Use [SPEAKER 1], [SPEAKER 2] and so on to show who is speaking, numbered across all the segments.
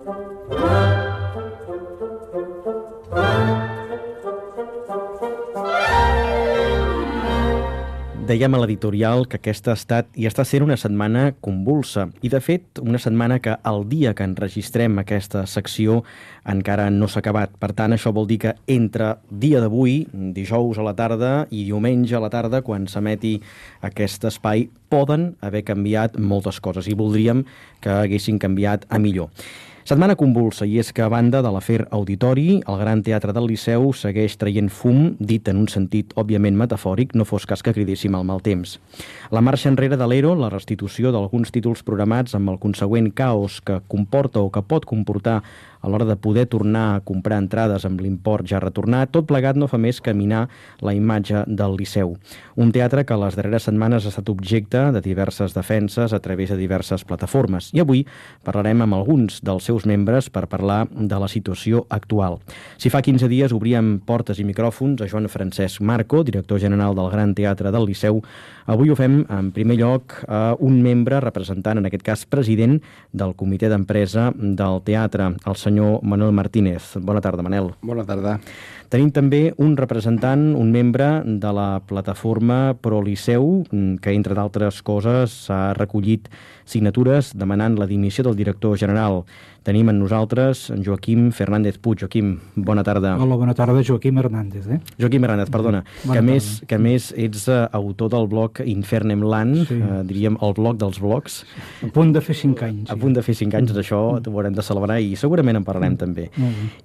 [SPEAKER 1] Dèiem a l'editorial que aquesta ha estat i està sent una setmana convulsa i, de fet, una setmana que el dia que enregistrem aquesta secció encara no s'ha acabat. Per tant, això vol dir que entre dia d'avui, dijous a la tarda i diumenge a la tarda, quan s'emeti aquest espai, poden haver canviat moltes coses i voldríem que haguessin canviat a millor. Setmana convulsa, i és que a banda de l'afer Auditori, el Gran Teatre del Liceu segueix traient fum, dit en un sentit òbviament metafòric, no fos cas que cridéssim el mal temps. La marxa enrere de l'ERO, la restitució d'alguns títols programats amb el consegüent caos que comporta o que pot comportar a l'hora de poder tornar a comprar entrades amb l'import ja retornat, tot plegat no fa més caminar la imatge del Liceu. Un teatre que les darreres setmanes ha estat objecte de diverses defenses a través de diverses plataformes. I avui parlarem amb alguns dels seus membres per parlar de la situació actual. Si fa 15 dies obríem portes i micròfons a Joan Francesc Marco, director general del Gran Teatre del Liceu, avui ho fem en primer lloc a un membre representant, en aquest cas president, del comitè d'empresa del teatre, el senyor Manuel Martínez. Bona tarda, Manel.
[SPEAKER 2] Bona tarda.
[SPEAKER 1] Tenim també un representant, un membre de la plataforma Pro Liceu, que, entre d'altres coses, s'ha recollit signatures demanant la dimissió del director general. Tenim amb nosaltres en Joaquim Fernández Puig. Joaquim, bona tarda.
[SPEAKER 3] Hola, bona tarda, Joaquim Hernández.
[SPEAKER 1] Joaquim Hernández, perdona. Que a més ets autor del blog Infernem Land, sí. Diríem el blog dels blogs.
[SPEAKER 3] A punt de fer 5 anys.
[SPEAKER 1] A punt de fer 5 anys, això ho haurem de celebrar i segurament en parlarem també.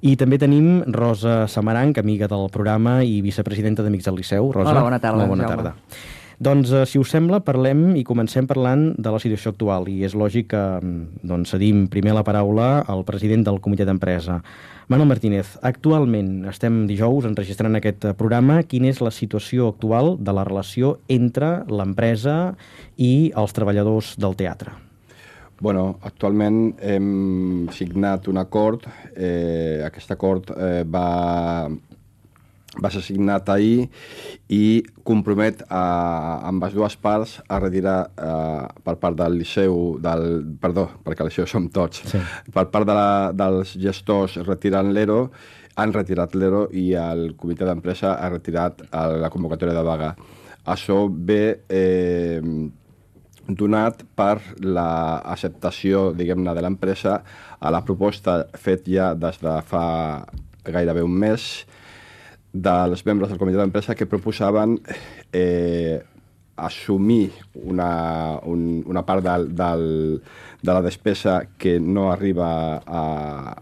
[SPEAKER 1] I també tenim Rosa Samaranch, amiga del programa i vicepresidenta d'Amics del Liceu. Rosa,
[SPEAKER 4] hola, bona tarda.
[SPEAKER 1] Molt bona tarda. Doncs, si us sembla, parlem i comencem parlant de la situació actual. I és lògic que cedim primer la paraula al president del comitè d'empresa. Manuel Martínez, actualment estem dijous enregistrant aquest programa. Quina és la situació actual de la relació entre l'empresa i els treballadors del teatre?
[SPEAKER 2] Bueno, actualment hem signat un acord. Aquest acord va ser signat ahir i compromet amb les dues parts a retirar per part del Liceu, perdó, perquè al Liceu som tots, sí. Per part dels gestors retirant l'ERO, han retirat l'ERO i el comitè d'empresa ha retirat la convocatòria de vaga. Això ve donat per l'acceptació, diguem-ne, de l'empresa a la proposta fet ja des de fa gairebé un mes dels membres del comitè d'empresa que proposaven assumir una part de la despesa que no arriba a,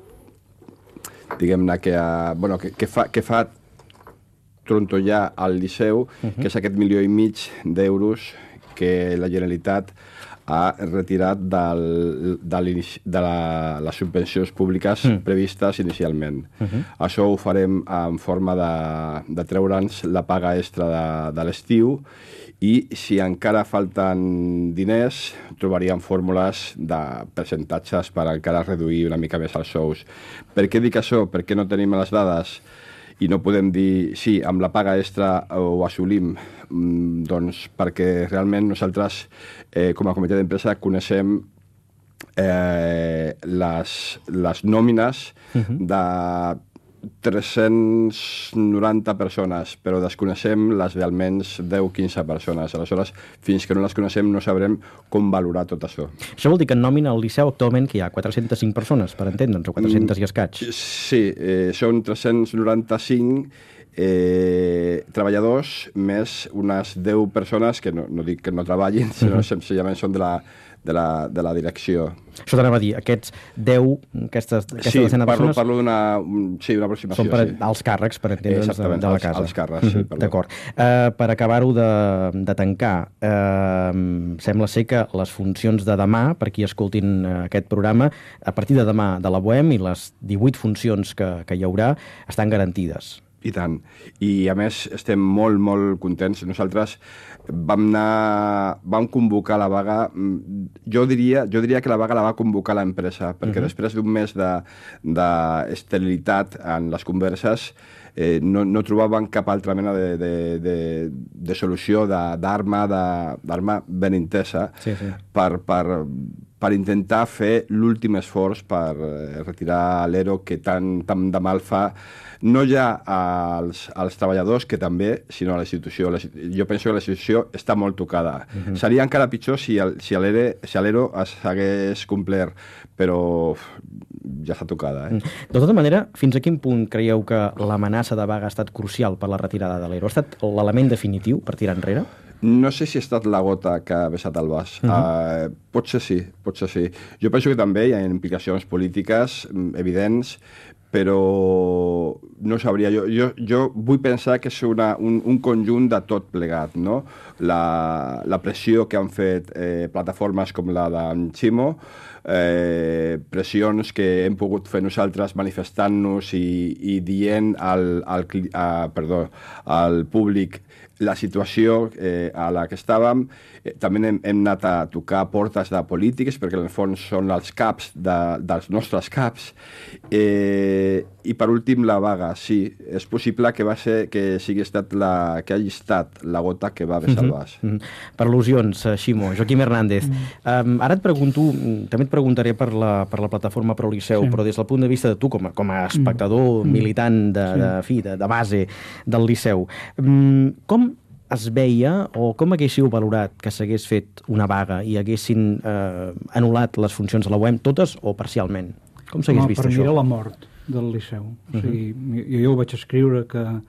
[SPEAKER 2] diguem-ne, que fa trontollar al Liceu, que és aquest 1,5 milió d'euros que la Generalitat ha retirat de les subvencions públiques previstes inicialment. Això ho farem en forma de treure'ns la paga extra de l'estiu i si encara falten diners trobaríem fórmules de percentatges per encara reduir una mica més els sous. Per què dic això? Perquè no tenim les dades i no podem dir, sí, amb la paga extra ho assolim, doncs perquè realment nosaltres, com a comitè d'empresa, coneixem les nòmines de 390 persones, però desconeixem les d'almenys 10-15 persones. Aleshores, fins que no les coneixem, no sabrem com valorar tot això.
[SPEAKER 1] Això vol dir que en nòmina al Liceu actualment que hi ha 405 persones, per entendre'ns, o 400 i escaig?
[SPEAKER 2] Sí, són 395 treballadors més unes 10 persones que no dic que no treballin, sinó senzillament són de la direcció.
[SPEAKER 1] Això t'anava a dir, aquests 10, aquesta decena de persones...
[SPEAKER 2] Parlo d'una aproximació.
[SPEAKER 1] Són per als càrrecs, per entendre'ns, de la casa.
[SPEAKER 2] Els càrrecs, sí, perdó.
[SPEAKER 1] D'acord. Per acabar-ho de tancar, sembla ser que les funcions de demà, per qui escoltin aquest programa, a partir de demà de la Bohem i les 18 funcions que hi haurà, estan garantides.
[SPEAKER 2] I tant. I, a més, estem molt, molt contents. Nosaltres vam convocar la vaga... Jo diria que la vaga la va convocar l'empresa, perquè després d'un mes d'esterilitat en les converses no trobaven cap altra mena de solució d'arma ben intesa per per intentar fer l'últim esforç per retirar l'ERO que tant de mal fa, no ja als treballadors, que també, sinó a la institució. Jo penso que la institució està molt tocada. Seria encara pitjor si l'ERO s'hagués complert, però ja està tocada.
[SPEAKER 1] De tota manera, fins a quin punt creieu que l'amenaça de vaga ha estat crucial per la retirada de l'ERO? Ha estat l'element definitiu per tirar enrere?
[SPEAKER 2] No sé si ha estat la gota que ha vessat el vas. Potser sí. Jo penso que també hi ha implicacions polítiques evidents, però no sabria. Jo vull pensar que és un conjunt de tot plegat, no? La pressió que han fet plataformes com la d'en Ximo, pressions que hem pogut fer nosaltres manifestant-nos i dient al públic la situació a la que estàvem. També hem anat a tocar portes de polítics, perquè en el fons són els caps dels nostres caps. I per últim la vaga, sí. És possible que hagi estat la gota que va vessar el vas.
[SPEAKER 1] Per al·lusions, Ximo. Joaquim Hernández. Ara també et preguntaré per la plataforma Pro Liceu, però des del punt de vista de tu, com a espectador militant de base del Liceu, com es veia o com haguéssiu valorat que s'hagués fet una vaga i haguessin anul·lat les funcions de la UEM, totes o parcialment? Com s'hagués vist això?
[SPEAKER 3] Per mi era la mort del Liceu. O sigui, jo ho vaig escriure que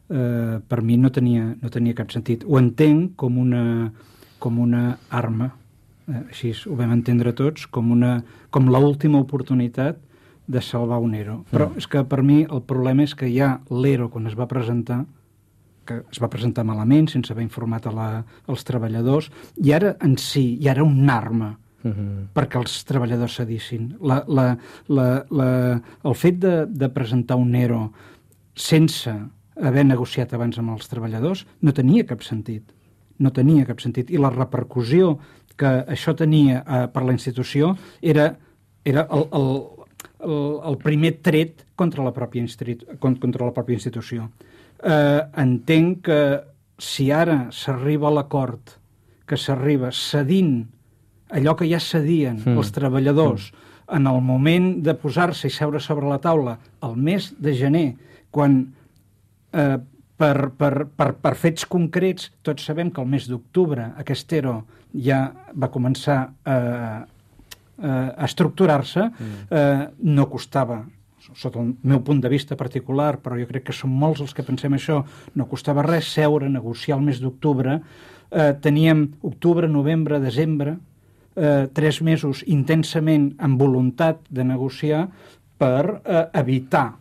[SPEAKER 3] per mi no tenia cap sentit. Ho entenc com una arma, així ho vam entendre tots, com l'última oportunitat de salvar un ERO. Però és que per mi el problema és que ja l'ERO, quan es va presentar, que es va presentar malament, sense haver informat als treballadors, i ara en si, ja era una arma perquè els treballadors cedissin. El fet de presentar un ERO sense haver negociat abans amb els treballadors no tenia cap sentit. No tenia cap sentit. I la repercussió que això tenia per la institució era el primer tret contra la pròpia institució. Entenc que si ara s'arriba a l'acord, que s'arriba cedint allò que ja cedien els treballadors en el moment de posar-se i seure sobre la taula el mes de gener, quan per fets concrets tots sabem que el mes d'octubre aquest ERO ja va començar a estructurar-se, no costava, sota el meu punt de vista particular, però jo crec que som molts els que pensem això, no costava res seure, negociar el mes d'octubre. Teníem octubre, novembre, desembre, 3 mesos intensament amb voluntat de negociar per evitar,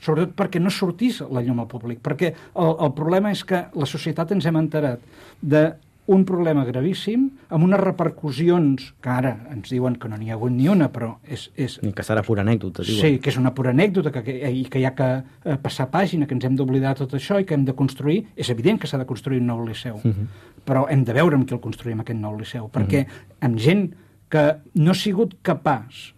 [SPEAKER 3] sobretot perquè no sortís la llum al públic, perquè el problema és que la societat ens hem enterat d'un problema gravíssim, amb unes repercussions que ara ens diuen que no n'hi ha hagut ni una, però és...
[SPEAKER 1] Ni que serà pura anècdota, diuen.
[SPEAKER 3] Sí, que és una pura anècdota i que hi ha que passar pàgina, que ens hem d'oblidar tot això i que hem de construir. És evident que s'ha de construir un nou liceu, però hem de veure amb qui el construïm, aquest nou liceu, perquè amb gent que no ha sigut capaç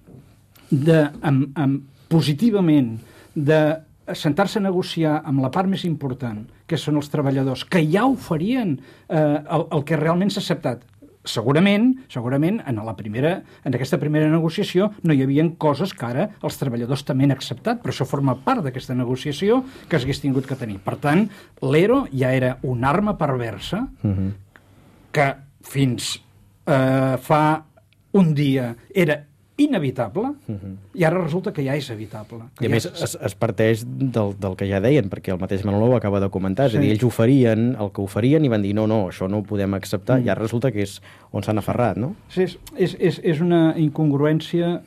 [SPEAKER 3] positivament de sentar-se a negociar amb la part més important, que són els treballadors, que ja oferien el que realment s'ha acceptat. Segurament, en aquesta primera negociació no hi havia coses que ara els treballadors també han acceptat, però això forma part d'aquesta negociació que s'hagués tingut que tenir. Per tant, l'ERO ja era una arma perversa que fins fa un dia era inevitable, i ara resulta que ja és evitable.
[SPEAKER 1] I a més es parteix del que ja deien, perquè el mateix Manolo ho acaba de comentar, és a dir, ells oferien el que oferien i van dir no, això no ho podem acceptar, i ara resulta que és on s'han aferrat, no?
[SPEAKER 3] Sí, és una incongruència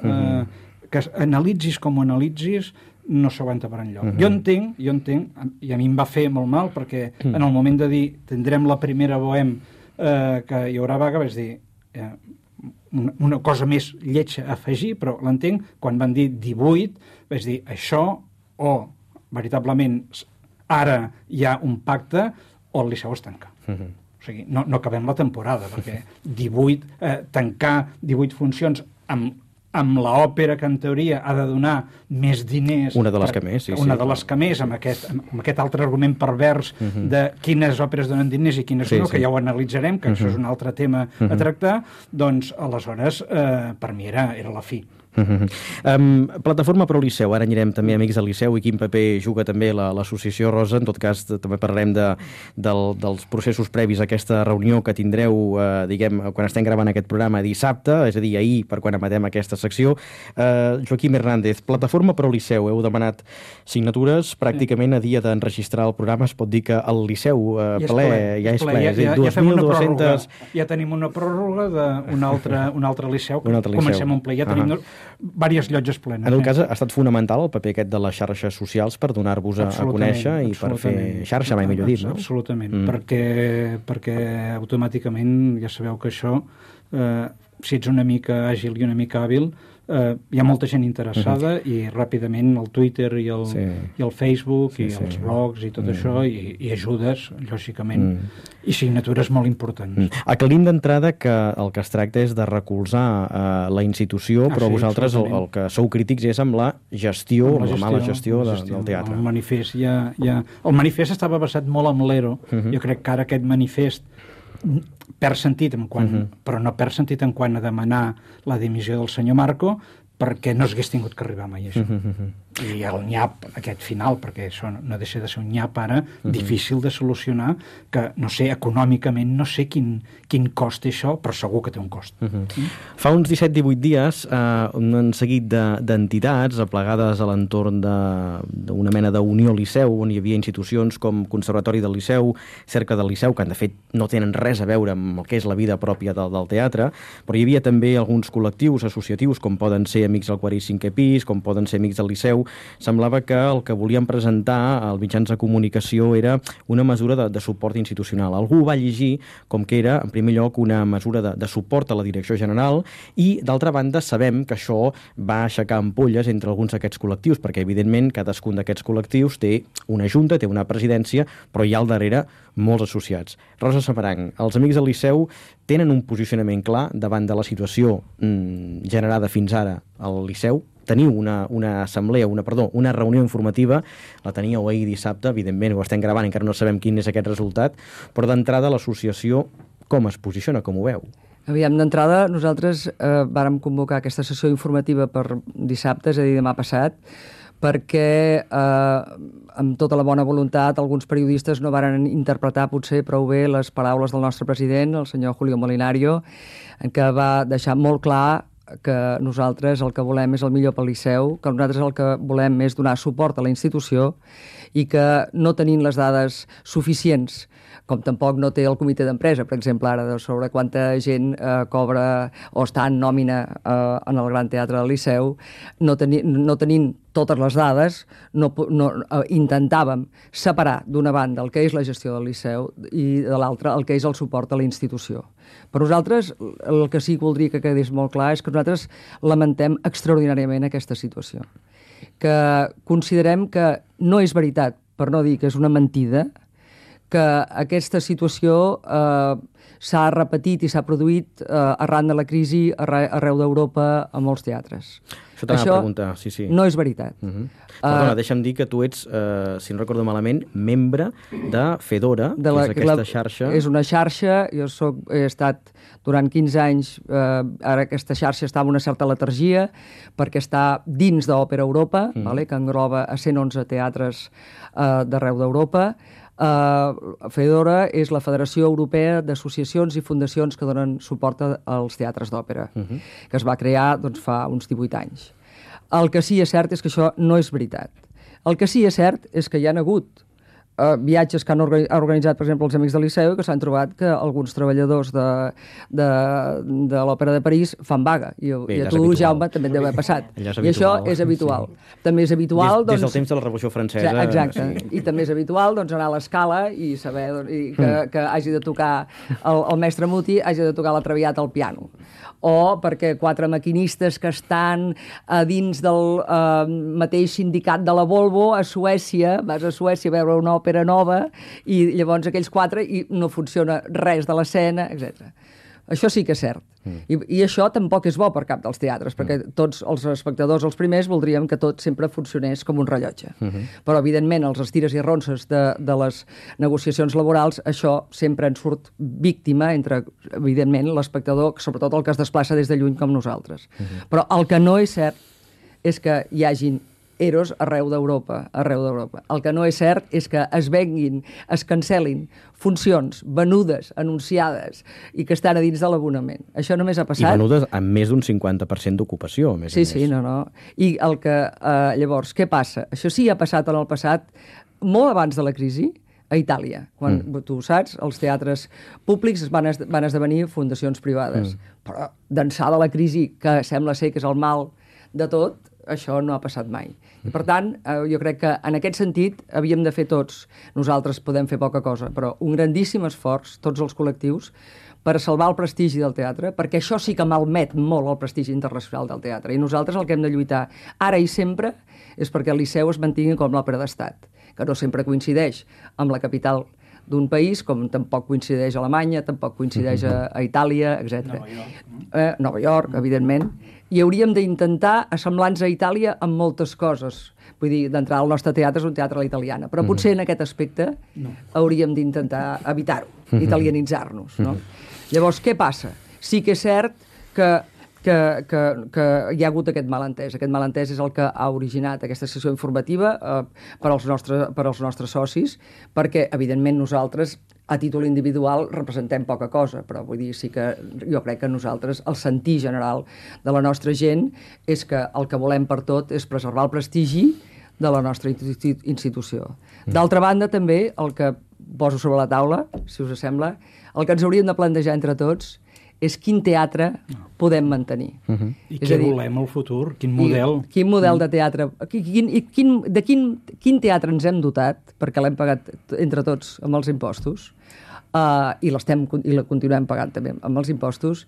[SPEAKER 3] que analitzis com ho analitzis no s'aguanta per enlloc. Jo entenc, i a mi em va fer molt mal, perquè en el moment de dir tindrem la primera BOEM que hi haurà vaga, vaig dir una cosa més lletja a afegir, però l'entenc, quan van dir 18, vaig dir això o veritablement ara hi ha un pacte o el Liceu es tanca. O sigui, no acabem la temporada, perquè tancar 18 funcions amb amb l'òpera que en teoria ha de donar més diners...
[SPEAKER 1] Una de les que més, sí.
[SPEAKER 3] Una de les que més, amb aquest altre argument pervers de quines òperes donen diners i quines no, que ja ho analitzarem, que això és un altre tema a tractar, doncs aleshores per mi era la fi.
[SPEAKER 1] Plataforma Pro Liceu, ara anirem també a Amics del Liceu i quin paper juga també l'associació Rosa. En tot cas també parlarem dels processos previs a aquesta reunió que tindreu diguem, quan estem gravant aquest programa dissabte, és a dir, ahir per quan emetem aquesta secció. Joaquim Hernández, Plataforma Pro Liceu, heu demanat signatures pràcticament a dia d'enregistrar el programa. Es pot dir que el Liceu ple, ja és ple, és a dir, 2.200...
[SPEAKER 3] Ja tenim una pròrroga d'un altre liceu que comencem a omplir. Ja tenim diverses llotges plenes.
[SPEAKER 1] En el cas, ha estat fonamental el paper aquest de les xarxes socials per donar-vos a conèixer i per fer xarxa, mai millor dit, no?
[SPEAKER 3] Absolutament, perquè automàticament ja sabeu que això, si ets una mica àgil i una mica hàbil, hi ha molta gent interessada i ràpidament el Twitter i el Facebook i els blogs i tot això i ajudes, lògicament, i signatures molt importants.
[SPEAKER 1] Aclarim d'entrada que el que es tracta és de recolzar la institució, però vosaltres el que sou crítics és amb la gestió, amb la mala gestió del teatre.
[SPEAKER 3] El manifest estava basat molt en l'ERO. Jo crec que ara aquest manifest perd sentit però no perd sentit en quant a demanar la dimissió del senyor Marco, perquè no s'hagués tingut que arribar mai a això. I el nyap, aquest final, perquè això no deixa de ser un nyap ara, difícil de solucionar, que, no sé, econòmicament no sé quin cost té això, però segur que té un cost.
[SPEAKER 1] Fa uns 17-18 dies, un seguit d'entitats aplegades a l'entorn d'una mena d'Unió Liceu, on hi havia institucions com Conservatori del Liceu, Cerca del Liceu, que de fet no tenen res a veure amb el que és la vida pròpia del teatre, però hi havia també alguns col·lectius associatius, com poden ser Amics del Quart i Cinquè Pis, com poden ser Amics del Liceu. Semblava que el que volien presentar als mitjans de comunicació era una mesura de suport institucional. Algú va llegir com que era, en primer lloc, una mesura de suport a la direcció general i, d'altra banda, sabem que això va aixecar ampolles entre alguns d'aquests col·lectius, perquè, evidentment, cadascun d'aquests col·lectius té una junta, té una presidència, però hi ha al darrere molts associats. Rosa Samaranch, els Amics del Liceu tenen un posicionament clar davant de la situació generada fins ara al Liceu. Teniu una reunió informativa, la teníeu ahir dissabte, evidentment ho estem gravant, encara no sabem quin és aquest resultat, però d'entrada l'associació com es posiciona, com ho veu?
[SPEAKER 4] Aviam, d'entrada nosaltres vàrem convocar aquesta sessió informativa per dissabte, és a dir, demà passat, perquè amb tota la bona voluntat alguns periodistes no varen interpretar potser prou bé les paraules del nostre president, el senyor Julio Molinario, en què va deixar molt clar que nosaltres el que volem és el millor pel Liceu, que nosaltres el que volem és donar suport a la institució i que no tenint les dades suficients, com tampoc no té el comitè d'empresa, per exemple, ara, sobre quanta gent cobra o està en nòmina en el Gran Teatre del Liceu, no tenint totes les dades, intentàvem separar d'una banda el que és la gestió del Liceu i de l'altra el que és el suport a la institució. Per nosaltres, el que sí que voldria que quedés molt clar és que nosaltres lamentem extraordinàriament aquesta situació. Que considerem que no és veritat, per no dir que és una mentida, que aquesta situació s'ha repetit i s'ha produït arran de la crisi arreu d'Europa a molts teatres.
[SPEAKER 1] Això t'anava a preguntar, sí.
[SPEAKER 4] No és veritat.
[SPEAKER 1] Perdona, deixa'm dir que tu ets, si no recordo malament, membre de Fedora, que és aquesta xarxa.
[SPEAKER 4] És una xarxa, he estat durant 15 anys, ara aquesta xarxa està en una certa letargia, perquè està dins d'Òpera Europa, que engloba a 111 teatres d'arreu d'Europa. Fedora és la Federació Europea d'Associacions i Fundacions que donen suport als teatres d'òpera, que es va crear fa uns 18 anys. El que sí és cert és que això no és veritat. El que sí és cert és que hi ha hagut viatges que han organitzat, per exemple, els Amics del Liceu, que s'han trobat que alguns treballadors de l'Òpera de París fan vaga. I a tu, Jaume, també et deu haver passat. I això és habitual. També és habitual...
[SPEAKER 1] Des del temps de la Revolució Francesa...
[SPEAKER 4] Exacte. I també és habitual anar a l'escala i saber que hagi de tocar el mestre Muti, hagi de tocar la Traviata al piano. O perquè 4 maquinistes que estan a dins del mateix sindicat de la Volvo a Suècia, vas a Suècia a veure una òpera nova i llavors aquells 4 i no funciona res de l'escena, etc. Això sí que és cert. I això tampoc és bo per cap dels teatres, perquè tots els espectadors, els primers, voldríem que tot sempre funcionés com un rellotge. Però, evidentment, els estires i arronses de les negociacions laborals, això sempre en surt víctima entre, evidentment, l'espectador, sobretot el que es desplaça des de lluny com nosaltres. Però el que no és cert és que hi hagin EROs arreu d'Europa. El que no és cert és que es venguin, es cancel·lin funcions venudes, anunciades i que estan a dins de l'abonament. Això només ha passat...
[SPEAKER 1] I venudes amb més d'un 50% d'ocupació, a més a més.
[SPEAKER 4] Sí, no. I el que... llavors, què passa? Això sí ha passat en el passat, molt abans de la crisi, a Itàlia. Quan, tu ho saps, els teatres públics van esdevenir fundacions privades. Però d'ençà de la crisi, que sembla ser que és el mal de tot, això no ha passat mai. I, per tant, jo crec que en aquest sentit havíem de fer tots, nosaltres podem fer poca cosa, però un grandíssim esforç, tots els col·lectius, per salvar el prestigi del teatre, perquè això sí que malmet molt el prestigi internacional del teatre. I nosaltres el que hem de lluitar ara i sempre és perquè el Liceu es mantingui com l'òpera d'estat, que no sempre coincideix amb la capital d'un país, com tampoc coincideix a Alemanya, tampoc coincideix a Itàlia, etc. Nova York, evidentment. I hauríem d'intentar assemblar-nos a Itàlia amb moltes coses. Vull dir, d'entrada, el nostre teatre és un teatre a la italiana, però potser en aquest aspecte hauríem d'intentar evitar-ho, italianitzar-nos, no? Llavors, què passa? Sí que és cert que hi ha hagut aquest malentès. Aquest malentès és el que ha originat aquesta sessió informativa per als nostres socis, perquè, evidentment, nosaltres, a títol individual, representem poca cosa, però vull dir, sí que jo crec que nosaltres, el sentir general de la nostra gent és que el que volem per tot és preservar el prestigi de la nostra institució. D'altra banda, també, el que poso sobre la taula, si us sembla, el que ens hauríem de plantejar entre tots és quin teatre podem mantenir.
[SPEAKER 3] I què volem al futur? Quin model?
[SPEAKER 4] Quin model de teatre? De quin teatre ens hem dotat, perquè l'hem pagat entre tots amb els impostos, i la continuem pagant també amb els impostos,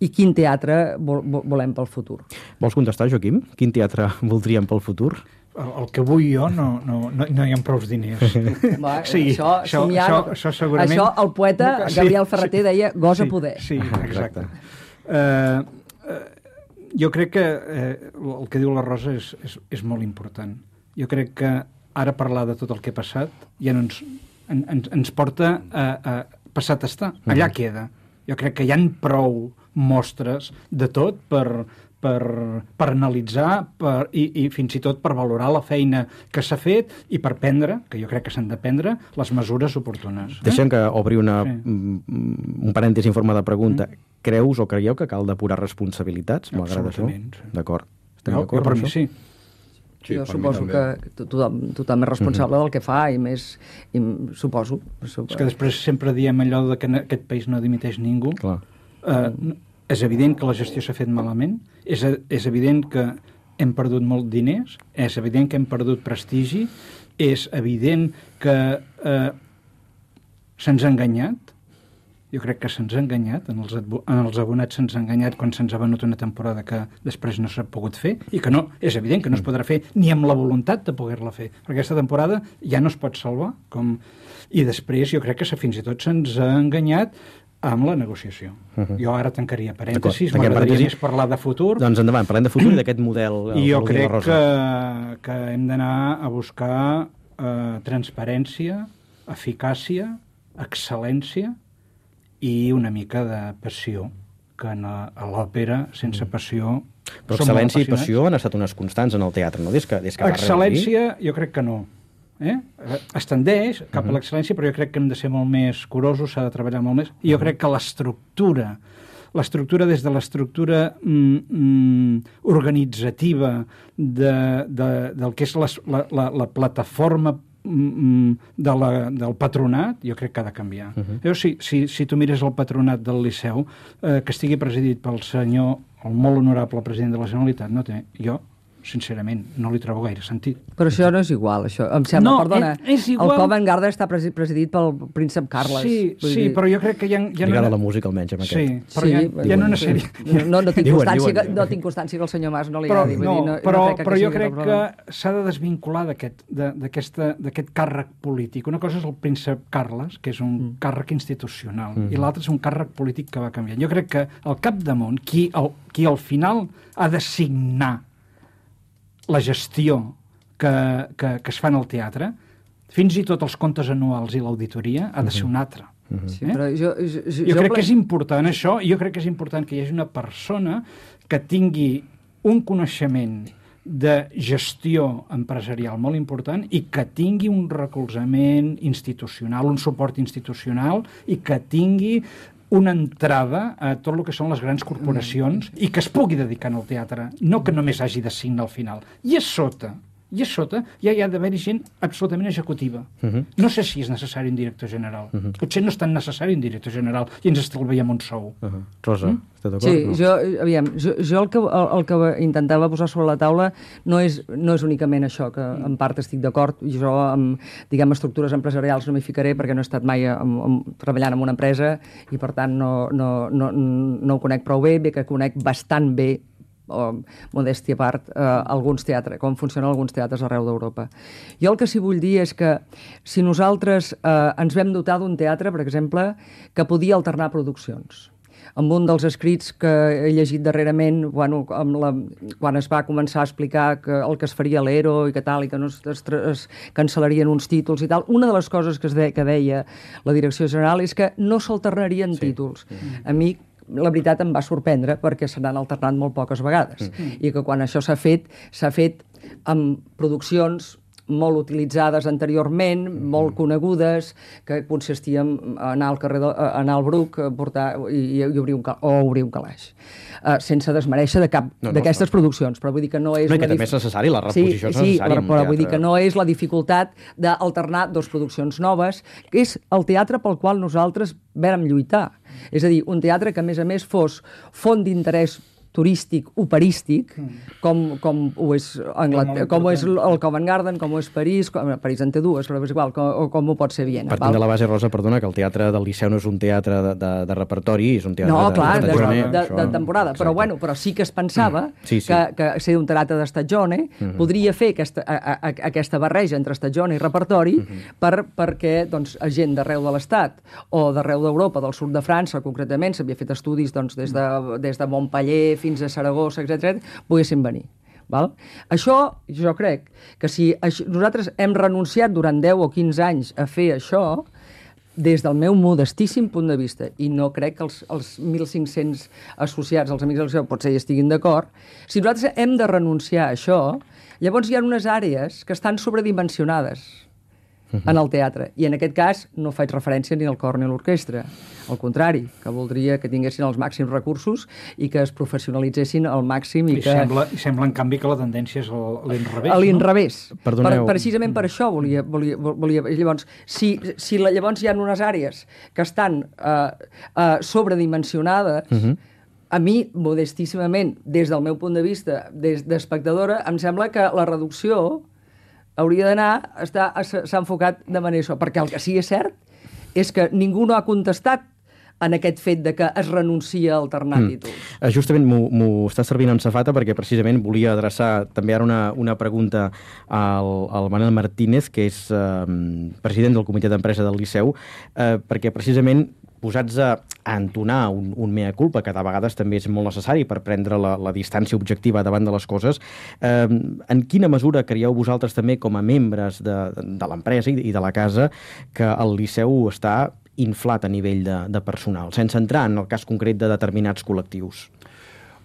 [SPEAKER 4] i quin teatre volem pel futur.
[SPEAKER 1] Vols contestar, Joaquim? Quin teatre voldríem pel futur?
[SPEAKER 3] El que vull jo no hi ha prou diners.
[SPEAKER 4] Sí, això segurament... Això el poeta Gabriel Ferreter deia gosa poder.
[SPEAKER 3] Sí, exacte. Jo crec que el que diu la Rosa és molt important. Jo crec que ara parlar de tot el que ha passat ja no ens porta a passat estar. Allà queda. Jo crec que hi ha prou mostres de tot per analitzar i fins i tot per valorar la feina que s'ha fet i per prendre, que jo crec que s'han de prendre, les mesures oportunes.
[SPEAKER 1] Deixem que obri un parèntesi en forma de pregunta. Creus o creieu que cal depurar responsabilitats, malgrat això? D'acord. Estem d'acord
[SPEAKER 3] per mi sí.
[SPEAKER 4] Jo suposo que tothom és responsable del que fa i més, suposo.
[SPEAKER 3] És que després sempre diem allò que en aquest país no dimiteix ningú. És evident que la gestió s'ha fet malament, és evident que hem perdut molt diners, és evident que hem perdut prestigi, és evident que se'ns ha enganyat. Jo crec que se'ns ha enganyat, en els abonats se'ns ha enganyat quan se'ns ha venut una temporada que després no s'ha pogut fer, i que no, és evident que no es podrà fer ni amb la voluntat de poder-la fer, perquè aquesta temporada ja no es pot salvar. I després jo crec que fins i tot se'ns ha enganyat amb la negociació. Jo ara tancaria parèntesis, m'agradaria més parlar de futur.
[SPEAKER 1] Doncs endavant, parlem de futur i d'aquest model.
[SPEAKER 3] I jo crec que hem d'anar a buscar transparència, eficàcia, excel·lència i una mica de passió, que a l'òpera, sense passió...
[SPEAKER 1] Però excel·lència i passió han estat unes constants en el teatre, no? Des que
[SPEAKER 3] excel·lència, jo crec que no. Es tendeix cap a l'excel·lència, però jo crec que hem de ser molt més curosos, s'ha de treballar molt més. I jo crec que l'estructura des de l'estructura organitzativa del que és la plataforma del patronat, jo crec que ha de canviar. Si tu mires el patronat del Liceu, que estigui presidit pel senyor, el molt honorable president de la Generalitat, no té. Jo sincerament, no li trobo gaire sentit.
[SPEAKER 4] Però això no és igual, això. Em sembla,
[SPEAKER 3] No,
[SPEAKER 4] perdona,
[SPEAKER 3] és igual.
[SPEAKER 4] el Covent Garden està presidit pel príncep Carles.
[SPEAKER 3] Sí, però jo crec que hi ha
[SPEAKER 1] Lligada a la música, almenys, amb aquest.
[SPEAKER 3] Sí, però hi ha una sèrie...
[SPEAKER 4] No tinc
[SPEAKER 1] Diuen,
[SPEAKER 4] constància,
[SPEAKER 1] diuen.
[SPEAKER 4] no tinc constància que el senyor Mas no li
[SPEAKER 3] Però,
[SPEAKER 4] agradi.
[SPEAKER 3] però jo crec que s'ha de desvincular d'aquest càrrec polític. Una cosa és el príncep Carles, que és un càrrec institucional, i l'altre és un càrrec polític que va canviant. Jo crec que al capdamunt, qui al final ha de signar la gestió que es fa en el teatre, fins i tot els comptes anuals i l'auditoria, ha de ser un altre.
[SPEAKER 4] Sí, però jo
[SPEAKER 3] crec que és important això, jo crec que és important que hi hagi una persona que tingui un coneixement de gestió empresarial molt important i que tingui un recolzament institucional, un suport institucional i que tingui una entrada a tot el que són les grans corporacions i que es pugui dedicar al teatre, no que només hagi de signar al final. I a sota ja hi ha d'haver gent absolutament executiva. No sé si és necessari un director general. Potser no és tan necessari un director general i ens estalviem un sou.
[SPEAKER 1] Rosa, estàs d'acord?
[SPEAKER 4] Sí, jo el que intentava posar sobre la taula no és únicament això, que en part estic d'acord. Jo amb, estructures empresarials no m'hi ficaré perquè no he estat mai treballant en una empresa i per tant no ho conec prou bé que conec bastant bé, o modèstia a part, alguns teatres, com funcionen alguns teatres arreu d'Europa. Jo el que sí vull dir és que si nosaltres ens vam dotar d'un teatre, per exemple, que podia alternar produccions, amb un dels escrits que he llegit darrerament, quan es va començar a explicar que el que es faria a l'ERO i que tal, i que no es cancel·larien uns títols i tal, una de les coses que deia la direcció general és que no s'alternarien títols. A mi la veritat em va sorprendre perquè se n'han alternat molt poques vegades i que quan això s'ha fet amb produccions molt utilitzades anteriorment, molt conegudes, que consistien a anar al carrer, anar al Bruc, i obrir un calaix. Sense desmereixer de cap d'aquestes produccions, però vull dir que no és...
[SPEAKER 1] No, i que també és necessari, la reposició és necessària.
[SPEAKER 4] Sí, però vull dir que no és la dificultat d'alternar dues produccions noves, que és el teatre pel qual nosaltres vàrem lluitar. És a dir, un teatre que, a més, fos font d'interès turístic, operístic, com ho és el Covent Garden, com ho és París, París en té dues, però és igual, com ho pot ser Viena.
[SPEAKER 1] Partint de la base, Rosa, perdona, que el teatre del Liceu no és un teatre de repertori, és un teatre
[SPEAKER 4] de temporada, però sí que es pensava que ser un teatre d'estatgione podria fer aquesta barreja entre estatgione i repertori perquè gent d'arreu de l'Estat o d'arreu d'Europa, del sud de França, concretament, s'havia fet estudis des de Montpellier fins a Saragossa, etc., poguessin venir. Val? Això, jo crec que si nosaltres hem renunciat durant 10 o 15 anys a fer això, des del meu modestíssim punt de vista, i no crec que els 1.500 associats, els amics del Liceu, potser hi estiguin d'acord, si nosaltres hem de renunciar a això, llavors hi ha unes àrees que estan sobredimensionades en el teatre. I en aquest cas no faig referència ni al cor ni a l'orquestra. Al contrari, que voldria que tinguessin els màxims recursos i que es professionalitzessin al màxim. I
[SPEAKER 3] sembla, en canvi, que la tendència és a l'inrevés.
[SPEAKER 4] A l'inrevés.
[SPEAKER 1] Perdoneu.
[SPEAKER 4] Precisament per això volia... Llavors, si llavors hi ha unes àrees que estan sobredimensionades, a mi, modestíssimament, des del meu punt de vista, des d'espectadora, em sembla que la reducció hauria d'anar, s'ha enfocat de manera això, perquè el que sí que és cert és que ningú no ha contestat en aquest fet de que es renuncia a alternar títols.
[SPEAKER 1] Justament m'ho està servint en safata perquè precisament volia adreçar també ara una pregunta al Manel Martínez, que és president del comitè d'empresa del Liceu, perquè precisament posats a entonar un mea culpa, que de vegades també és molt necessari per prendre la distància objectiva davant de les coses, en quina mesura creieu vosaltres també com a membres de l'empresa i de la casa que el Liceu està inflat a nivell de personal, sense entrar en el cas concret de determinats col·lectius?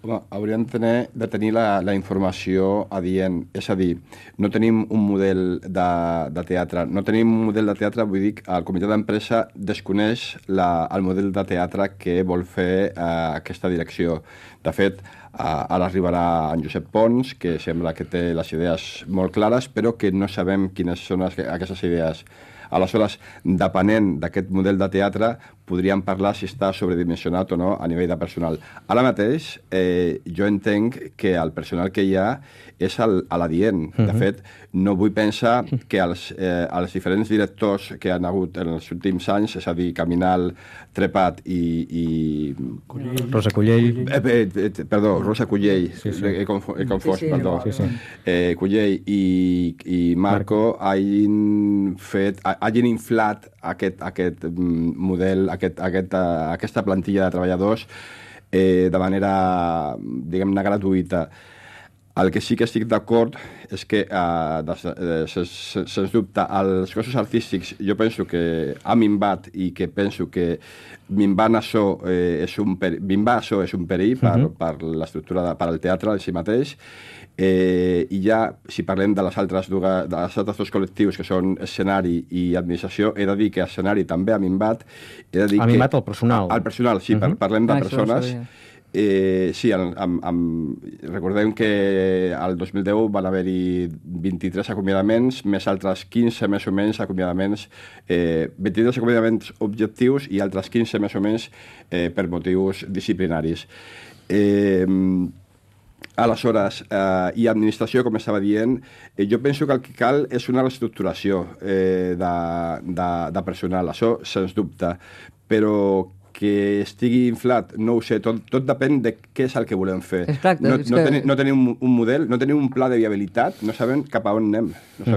[SPEAKER 2] Home, hauríem de tenir la informació adient. És a dir, no tenim un model de teatre. No tenim un model de teatre, vull dir que el comitè d'empresa desconeix el model de teatre que vol fer aquesta direcció. De fet, Ara arribarà en Josep Pons, que sembla que té les idees molt clares, però que no sabem quines són aquestes idees. Aleshores, depenent d'aquest model de teatre, podríem parlar si està sobredimensionat o no a nivell de personal. Ara mateix, jo entenc que el personal que hi ha és a l'adient. De fet, no vull pensar que els diferents directors que han hagut en els últims anys, és a dir, Caminal, Trepat i
[SPEAKER 1] Rosa Cullell.
[SPEAKER 2] Perdó, Rosa Cullell, he confós, perdó. Cullell i Marco hagin inflat aquest model, aquesta plantilla de treballadors de manera, diguem-ne, gratuïta. El que sí que estic d'acord és que, sens dubte, els cossos artístics jo penso que ha minvat i que penso que minvar això és un perill per l'estructura, per al teatre en si mateix. I ja, si parlem de les altres dos col·lectius, que són escenari i administració, he de dir que escenari també ha minvat.
[SPEAKER 1] Ha minvat el personal.
[SPEAKER 2] El personal, sí, parlem de persones. Sí, recordem que al 2010 van haver-hi 23 acomiadaments, més altres 15 més o menys acomiadaments, 23 acomiadaments objectius i altres 15 més o menys per motius disciplinaris. Aleshores, i administració, com estava dient, jo penso que el que cal és una reestructuració de personal, això sens dubte, però que estigui inflat, no ho sé, tot depèn de què és el que volem fer.
[SPEAKER 4] Exacte,
[SPEAKER 2] no tenim un model, no tenim un pla de viabilitat, no sabem cap a on anem.
[SPEAKER 4] Jo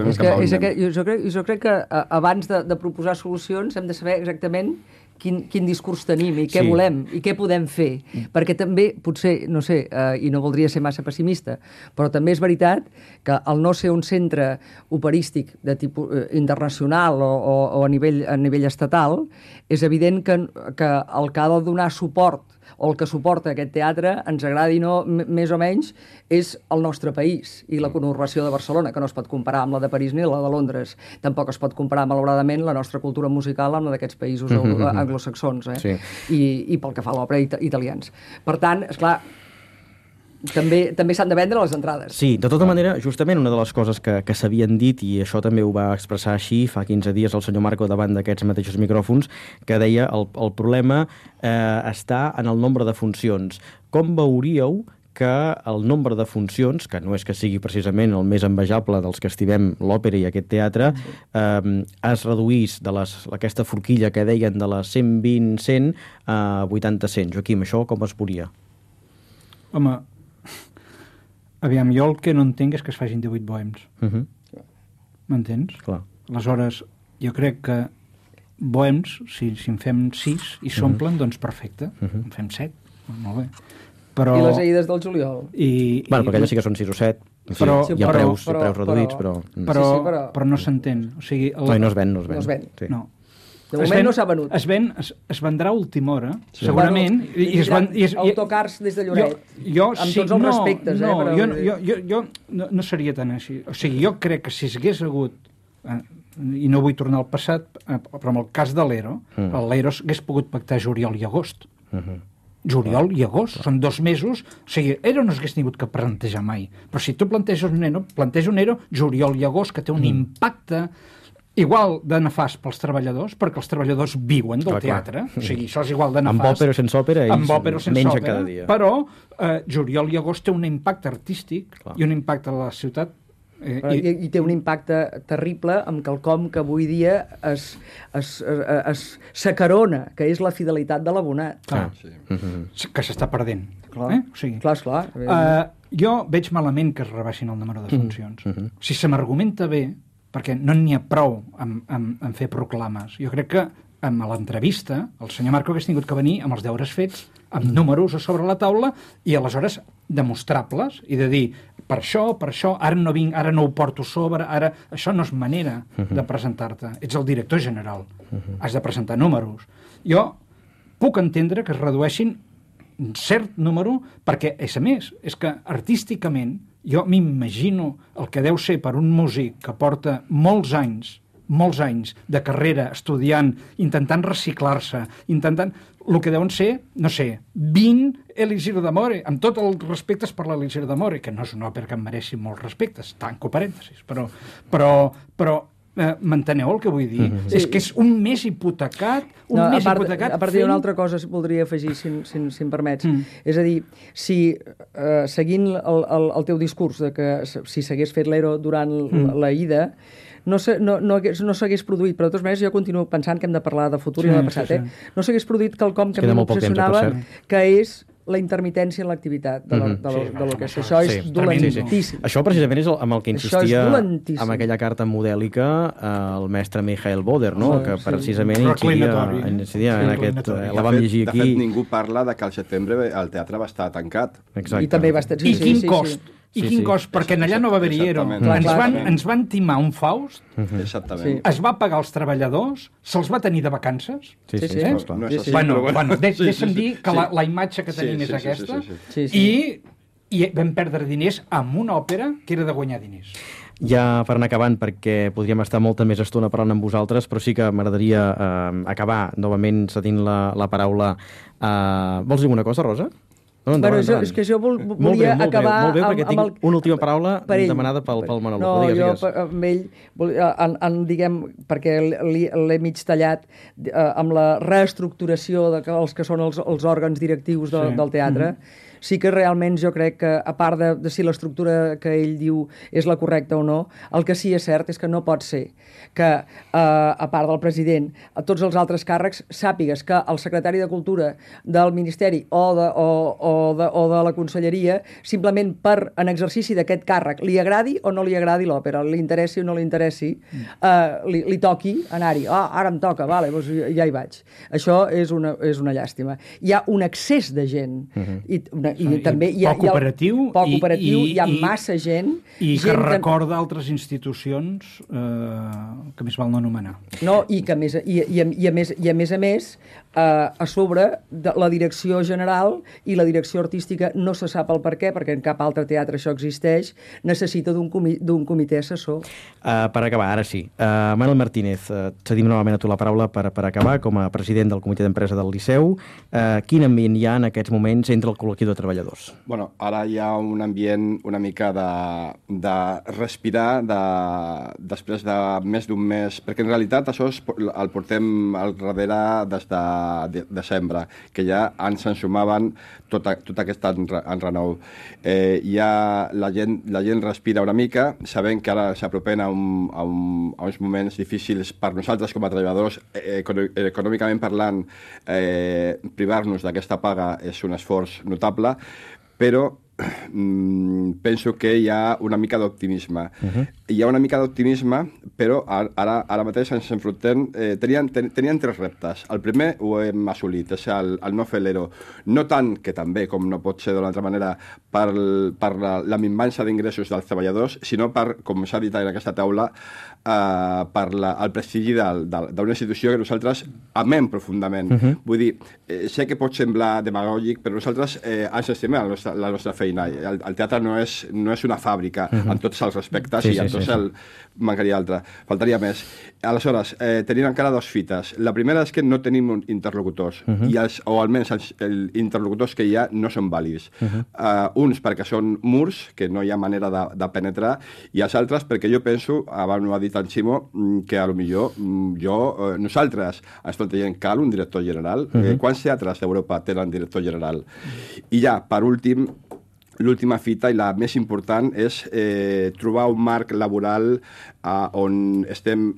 [SPEAKER 4] crec que abans de proposar solucions hem de saber exactament quin discurs tenim i què volem i què podem fer. Perquè també, potser, no sé, i no voldria ser massa pessimista, però també és veritat que al no ser un centre operístic de tipus internacional o a nivell estatal, és evident que el que ha de donar suport o el que suporta aquest teatre, ens agradi no, més o menys, és el nostre país i la conurbació de Barcelona, que no es pot comparar amb la de París ni la de Londres. Tampoc es pot comparar, malauradament, la nostra cultura musical amb la d'aquests països anglosaxons, i pel que fa a l'òpera italians. Per tant, esclar, també s'han de vendre les entrades.
[SPEAKER 1] Sí, de tota manera, justament una de les coses que s'havien dit, i això també ho va expressar així fa 15 dies el senyor Marco davant d'aquests mateixos micròfons, que deia el problema està en el nombre de funcions. Com veuríeu que el nombre de funcions, que no és que sigui precisament el més envejable dels que estimem l'òpera i aquest teatre, es reduís d'aquesta forquilla que deien de les 120-100 a 80-100. Joaquim, això com es veuria?
[SPEAKER 3] Home, aviam, jo el que no entenc és que es facin 18 bohems. M'entens?
[SPEAKER 1] Clar.
[SPEAKER 3] Aleshores, jo crec que bohems, si en fem 6 i s'omplen, doncs perfecte. En fem 7, molt bé. Però...
[SPEAKER 4] I les Aides del juliol.
[SPEAKER 1] Bueno, perquè allà sí que són 6 o 7. Hi ha preus reduïts,
[SPEAKER 3] però no s'entén. O sigui,
[SPEAKER 1] no es ven.
[SPEAKER 3] Sí. No.
[SPEAKER 4] De moment no s'ha venut.
[SPEAKER 3] Es vendrà a última hora, segurament.
[SPEAKER 4] Autocars des de Lloret. Amb tots els respectes.
[SPEAKER 3] Jo no seria tan així. O sigui, jo crec que si s'hagués hagut, i no vull tornar al passat, però en el cas de l'Ero, l'Ero hagués pogut pactar juliol i agost. Juliol i agost, són 2 mesos, o sigui, ERO no s'hagués tingut que plantejar mai, però si tu planteges un ERO, juliol i agost, que té un impacte igual de nefast pels treballadors, perquè els treballadors viuen del teatre, o sigui, això és igual de nefast.
[SPEAKER 1] Amb òpera o sense òpera, ells mengen cada dia.
[SPEAKER 3] Però juliol i agost té un impacte artístic i un impacte a la ciutat.
[SPEAKER 4] I té un impacte terrible amb quelcom que avui dia s'acarona, que és la fidelitat de l'abonat.
[SPEAKER 3] Que s'està perdent.
[SPEAKER 4] Clar.
[SPEAKER 3] Jo veig malament que es rebaixin el número de funcions. Si se m'argumenta bé, perquè no n'hi ha prou en fer proclames. Jo crec que en l'entrevista el senyor Marco hagués tingut que venir amb els deures fets, amb números a sobre la taula i aleshores demostrables i de dir, per això, ara no vinc, ara no ho porto sobre, ara... Això no és manera de presentar-te. Ets el director general. Has de presentar números. Jo puc entendre que es redueixin un cert número perquè, a més, és que artísticament jo m'imagino el que deu ser per un músic que porta molts anys molts anys de carrera, estudiant, intentant reciclar-se, intentant... El que deuen ser, no sé, 20 Elisir d'Amore, amb tots els respectes per l'Elisir d'Amore, que no és una òpera que em mereixi molts respectes, tanco parèntesis, però m'enteneu el que vull dir? És que és un més hipotecat,
[SPEAKER 4] A part d'una altra cosa voldria afegir, si em permets. És a dir, si seguint el teu discurs de que si s'hagués fet l'ERO durant la ida, no s'hagués produït, però de totes maneres jo continuo pensant que hem de parlar de futur i no de passat. No s'hagués produït quelcom que a mi m'obsessionava, que és la intermitència en l'activitat de l'orquestra. Això és dolentíssim.
[SPEAKER 1] Això precisament és amb el que insistia amb aquella carta modèlica el mestre Michael Boder, que precisament incidia en aquest... La vam llegir aquí.
[SPEAKER 2] De fet, ningú parla que al setembre el teatre va estar tancat.
[SPEAKER 4] I també va estar...
[SPEAKER 3] I quin cost? I quin cost? Perquè allà no va haver-hi ERO. Ens van timar un Faust, es va pagar els treballadors, se'ls va tenir de vacances. Bueno, deixa'm dir que la imatge que tenim és aquesta, i vam perdre diners amb una òpera que era de guanyar diners.
[SPEAKER 1] Ja per anar acabant, perquè podríem estar molta més estona parlant amb vosaltres, però sí que m'agradaria acabar novament cedint la paraula. Vols dir alguna cosa, Rosa?
[SPEAKER 4] És que jo volia acabar
[SPEAKER 1] molt bé, perquè tinc una última paraula demanada pel Manolo.
[SPEAKER 4] No, jo amb ell, diguem, perquè l'he mig tallat amb la reestructuració dels que són els òrgans directius del teatre. Sí que realment jo crec que, a part de si l'estructura que ell diu és la correcta o no, el que sí és cert és que no pot ser que, a part del president, a tots els altres càrrecs, sàpigues que el secretari de Cultura del Ministeri o de la Conselleria, simplement en exercici d'aquest càrrec, li agradi o no li agradi l'òpera, li interessi o no li interessi, li toqui anar-hi. Ara em toca, vale, doncs ja hi vaig. Això és una llàstima. Hi ha un excés de gent i també
[SPEAKER 3] poc operatiu,
[SPEAKER 4] hi ha massa gent
[SPEAKER 3] i que recorda altres institucions que més val no anomenar.
[SPEAKER 4] No, i que a més a sobre de la direcció general i la direcció artística no se sap el per què, perquè en cap altre teatre això existeix, necessita d'un comitè assessor.
[SPEAKER 1] Per acabar, ara sí. Manuel Martínez, cedim novament a tu la paraula per acabar com a president del comitè d'empresa del Liceu. Quin ambient hi ha en aquests moments entre el col·lectiu de treballadors?
[SPEAKER 2] Bueno, ara hi ha un ambient una mica de respirar després de més d'un mes, perquè en realitat això el portem al darrere des de desembre, que ja ens ensumaven tot aquest enrenou. La gent respira una mica, sabent que ara s'apropen a uns moments difícils per nosaltres com a treballadors, econòmicament parlant, privar-nos d'aquesta paga és un esforç notable, però penso que hi ha una mica d'optimisme. Hi ha una mica d'optimisme, però ara mateix ens enfrontem... Tenien 3 reptes. El primer ho hem assolit, és el no fer l'ERO. No tant, que també, com no pot ser d'una altra manera, per la minvança d'ingressos dels treballadors, sinó per, com s'ha dit en aquesta taula, per el prestigi d'una institució que nosaltres amem profundament. Vull dir, sé que pot semblar demagògic, però nosaltres ens estimem la nostra feina. El teatre no és una fàbrica, en tots els respectes, i en tots mancaria altra. Faltaria més. Aleshores, tenim encara 2 fites. La primera és que no tenim interlocutors, o almenys els interlocutors que hi ha no són vàlids. Uns perquè són murs, que no hi ha manera de penetrar, i els altres perquè jo penso, abans ho ha dit en Ximo, que potser nosaltres ens plantegem cal un director general. Quants teatres d'Europa tenen director general? I ja, per últim, l'última fita i la més important és trobar un marc laboral on estem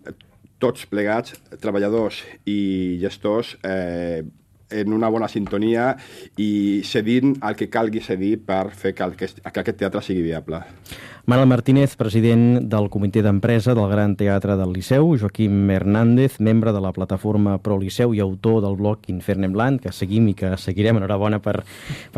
[SPEAKER 2] tots plegats, treballadors i gestors, en una bona sintonia i cedint el que calgui cedir per fer que aquest teatre sigui viable.
[SPEAKER 1] Manuel Martínez, president del comitè d'empresa del Gran Teatre del Liceu, Joaquim Hernández, membre de la plataforma Pro Liceu i autor del blog Infernem Land, que seguim i que seguirem. Enhorabona per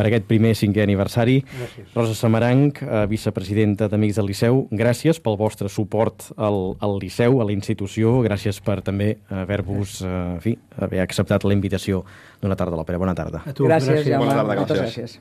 [SPEAKER 1] aquest primer 5è aniversari.
[SPEAKER 3] Gràcies.
[SPEAKER 1] Rosa Samaranch, vicepresidenta d'Amics del Liceu, gràcies pel vostre suport al Liceu, a la institució. Gràcies per també haver-vos, haver acceptat la invitació d'una tarda a l'òpera. Bona tarda.
[SPEAKER 4] A tu, gràcies.
[SPEAKER 2] Bona tarda,
[SPEAKER 4] moltes gràcies.